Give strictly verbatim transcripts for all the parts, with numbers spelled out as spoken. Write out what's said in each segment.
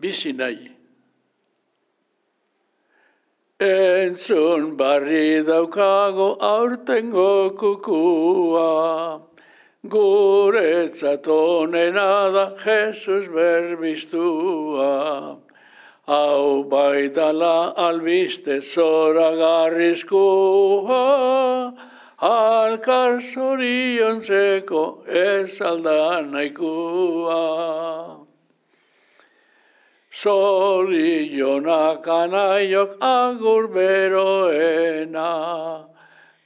bizi nahi. Entzun barri daukago aurtengo kukua, guretzat onena da Jesus berbistua. Hau baitala albiste zoragarrizkoa, alkar zoriontzeko ez alda nahikoa. Zorionak anaiok agur beroena,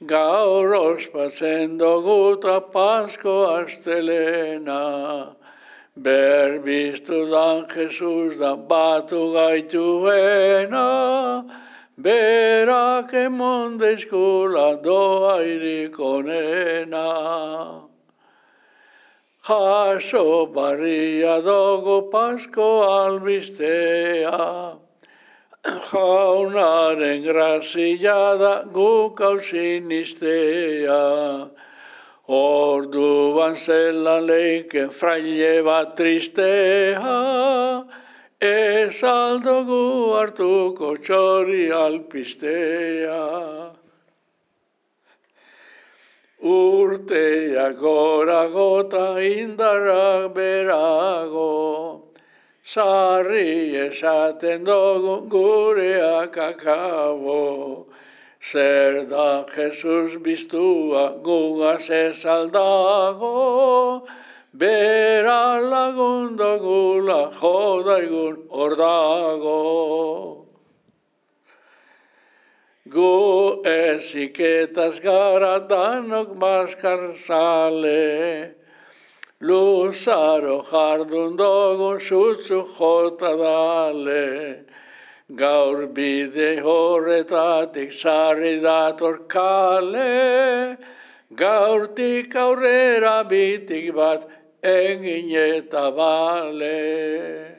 gaur ospatzen doguta Pasko astelena. Berbiztu dan Jesus da batu gaituena, berak emon deizkula doairik onena. Jaso barria dogu Pasko albistea, jaunaren grazia da guk hausinistea. Orduan zelan leike fraile bat tristea, ez aldogu hartuko txori alpistea. Urteak gora gota indarrak berago, sarri esaten dugu gureak akabo. Zer da Jesus biztua gugaz ez aldago, bera lagundogula jodaigun hor dago. Gu eziketaz gara danok maskar zale, luzaro jardun dogun sutzu jota dale. Gaur bide horretatik sarri dator kale, gaurtik aurrera bitik bat egin eta bale.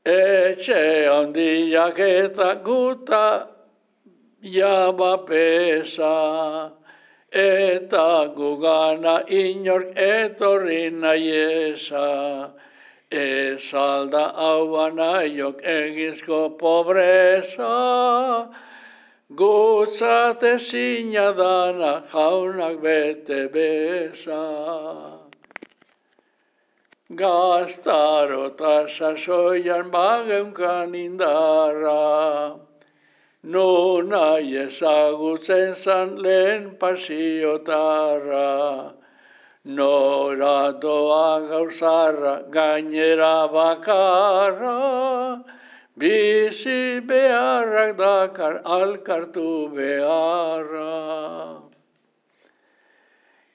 Etxe handiak eta guta jaba pesa, eta gugana inork etorri nahiesa. Ez alda hauan aiok egizko pobreza, gutzat ezina dana jaunak bete beza. Gaztaro eta sasoian bageunkan indarra, nun nahi ezagutzen zan lehen pasiotarra. Nora doa gauzarra gainera bakarra, bizi beharrak dakar alkartu beharra.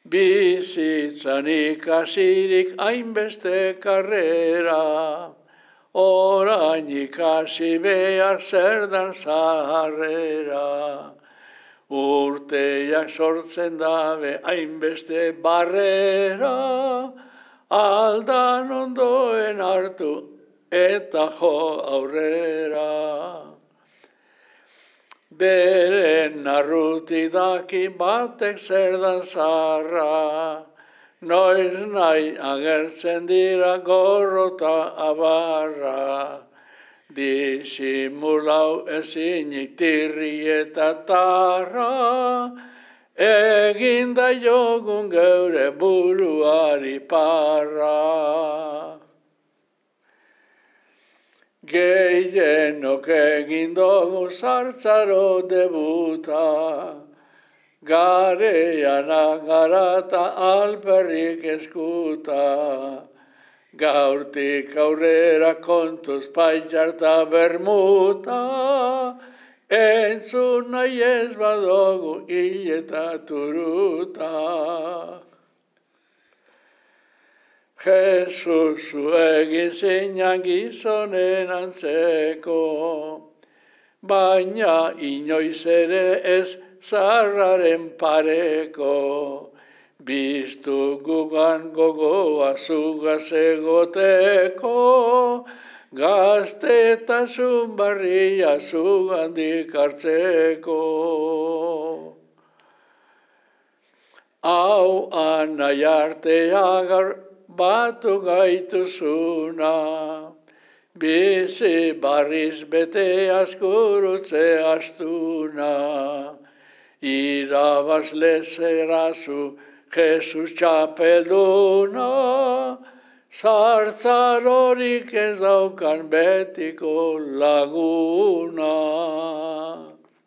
Bizitzan ikasirik hainbeste karrera, orain ikasi behar zer dan zaharrera. Urteak sortzen dabe hainbeste barrera, aldan ondoen hartu eta jo aurrera. Beren narruti daki batek zer dan zarra, noiz nahi agertzen dira gorrota abarra. Disimulau ezinik tirri eta tarra, eginda jogun geure buruari parra. Gehienok egin dugu sartzaro debuta, garean agarata alperrik eskuta. Gaurtik aurrera kontuz paitxarta bermuta, entzun nahi ez badogu hil eta turuta. Jesus zu egin zinan gizonen antzeko, baina inoiz ere ez zarraren pareko. Biztu gugan gogoa zugaz egoteko, gaztetasun barria zugandik hartzeko. Hau anai artea batu gaituzuna. Bizi barriz bete askurutze astuna. Irabazle zerazu Jesus txapelduna, zartzarorik ez daukan betiko laguna.